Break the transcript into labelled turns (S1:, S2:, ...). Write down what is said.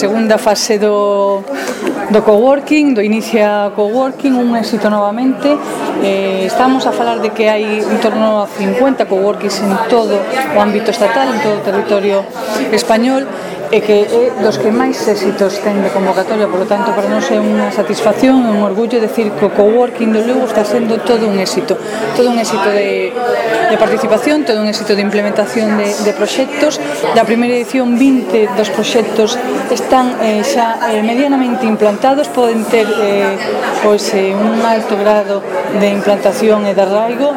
S1: segunda fase do coworking, do Inicia Coworking, un éxito novamente. Estamos a falar de que hai en torno a 50 coworkings en todo o ámbito estatal, en todo o territorio español, e que é dos que máis éxitos ten de convocatoria. Por lo tanto, para nós é unha satisfacción e un orgullo decir que o coworking do Lugo está sendo todo un éxito de participación, todo un éxito de implementación de proxectos. Da primeira edición, 20 dos proxectos están xa medianamente implantados, poden ter un alto grado de implantación e de arraigo.